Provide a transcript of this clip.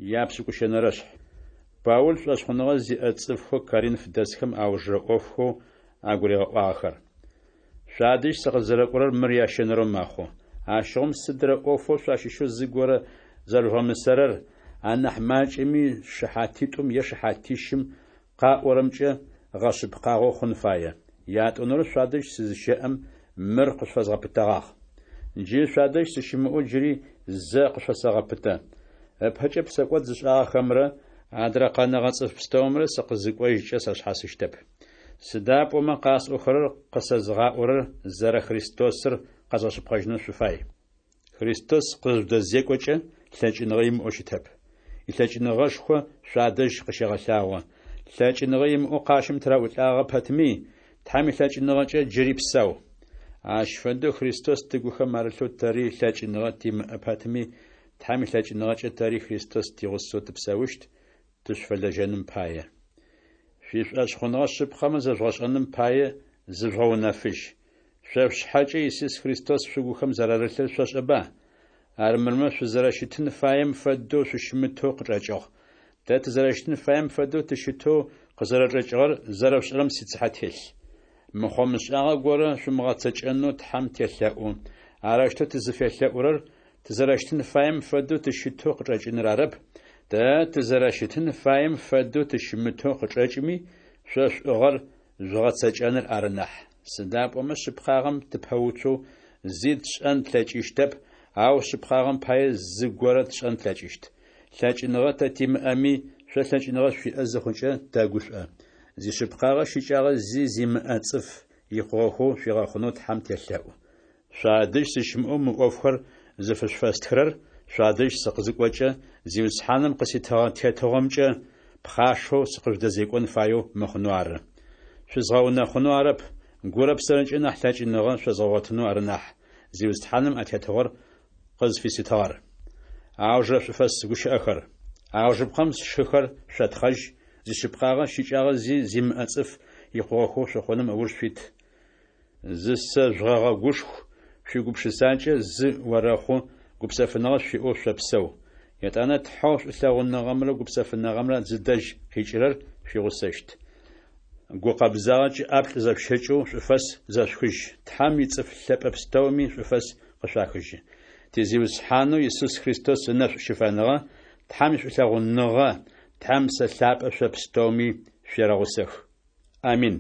Япшӏыкӏущэнэрэшъхь. Паул шӏошъхъуныгъэ зиӏэ цӏыфхэу Коринф дэсхэм аужырэ ӏофхэу агуригъэӏуагъэхэр. Шъуадэжь сыкъызэрэкӏорэр мыр ящэнэрэу мэхъу. Ащыгъум сыдрэ ӏофэу шъуащыщэу зыгорэ зэрэжъугъэмысэрэр, анахь макӏэми шыхьатитӏум е шыхьатищым къаӏорэмкӏэ гъэшъыпкъагъэу хъун фае. Ятӏонэрэу шъуадэжь сызыщэӏэм, мыр къышъуфэзгъэпытэгъагъ. Джы шъуадэжь сыщымыӏэу джыри зэ къышъуфэсэгъэпытэ. Ыпэкӏэ псэкӏод зышӏагъэхэмрэ адрэ къэнэгъэ цӏыф пстэумрэ сыкъызыкӏожькӏэ сашъхьасыщтэп. Сыда пӏомэ къасӏохэрэр къысэзыгъаӏорэр зэрэ Христосыр къэзгъэшъыпкъэжьынэу шъуфай. Христос къызжъудэзекӏокӏэ лъэкӏыныгъэ имыӏэу щытэп. Илъэкӏыныгъэшхо шъуадэжь къыщегъэлъагъо. Лъэкӏыныгъэ имыӏэу къащым тыраӏулӏагъэ пэтми, Тхьэм илъэкӏыныгъэкӏэ джыри псэу. Ащ фэдэу Христос тыгухэм арылъэу тэри лъэкӏыныгъэ тимыӏэ пэтми, Тхьэм илъэкӏыныгъэкӏэ тэри Христос тигъусэу тыпсэущт, тышъуфэлэжьэным пае. Шъуишӏошъхъуныгъэ шъыпкъэмэ зэжъугъэшӏэным пае зыжъугъэунэфыжь. Шъо шъушъхьэкӏэ Исус Христос шъугухэм зэрарылъыр шъошӏэба? Армырмэ шъузэрэщытын фаем фэдэу шъущымытэу къычӏэкӏыгъ. Тэ тызэрэщытын фаем фэдэу тыщытэу къызэрэчӏэкӏыгъэр зэрэшъушӏэрэм сицыхьэ телъ. Мыхъо-мышӏагъэ горэ шъумыгъэцэкӏэнэу Тхьэм телъэӏу. Арэущтэу тызыфелъэӏурэр тызэрэщытын фаем фэдэу тыщытэу къычӏэкӏыныр арэп, тэ тызэрэщытын фаем фэдэу тыщымытэу къычӏэкӏми, шъо шӏугъэр жъугъэцэкӏэныр ары нахь. Сыда пӏомэ шъыпкъагъэм тыпэуцоу зи тшӏэн тлъэкӏыщтэп, ау шъыпкъагъэм пае зыгорэ тшӏэн тлъэкӏыщт. Лъэкӏыныгъэ тэ тимыӏэми, шъо лъэкӏыныгъэ шъуиӏэ зыхъукӏэ тэгушӏо. Зишъыпкъагъэ щыкӏагъэ зи зимыӏэ цӏыф икъугъэхэу шъуигъэхъунэу Тхьэм телъэӏу. Шъуадэжь сыщымыӏэу мы ӏофхэр зыфышъуфэстхырэр шъуадэжь сыкъызыкӏокӏэ, Зиусхьаным къыситыгъэ тетыгъомкӏэ пхъашэу сыкъыжъудэзекӏон фаеу мыхъунэу ары. Шъузгъэунэхъунэу арэп, гурэ псэрэкӏэ нахь лъэкӏыныгъэ шъозгъэгъотынэу ары нахь, Зиусхьаным а тетыгъор къызфиситыгъэр. Аужырэ шӏуфэс гущыӏэхэр. Аужыпкъэм сшыхэр шъотхъэжь, зишъыпкъагъэ щыкӏагъэ зи зимыӏэ цӏыф икъугъэхэу шъухъуным ыуж шъуит. Зысэжъугъэгъэгушху, шъуигупшысакӏэ зы орэхъу, гупсэфыныгъэ шъуиӏэу шъопсэу. Етӏанэ Тхьэу шӏулъэгъуныгъэмрэ гупсэфыныгъэмрэ зыдэжь къикӏырэр шъуигъусэщт. Гукъэбзагъэкӏэ ӏаплӏ зэшъущэкӏэу шӏуфэс зэшъухыжь. Тхьэм ицӏыф лъэпӏэ пстэуми шӏуфэс къышъуахыжьы. Ти Зиусхьанэу Исус Христос ынэшӏу щыфэныгъэ, Тхьэм ишӏулъэгъуныгъэ, Тхьэм Псэ Лъапӏэ шъо пстэуми шъуерэгъусэх. Амин.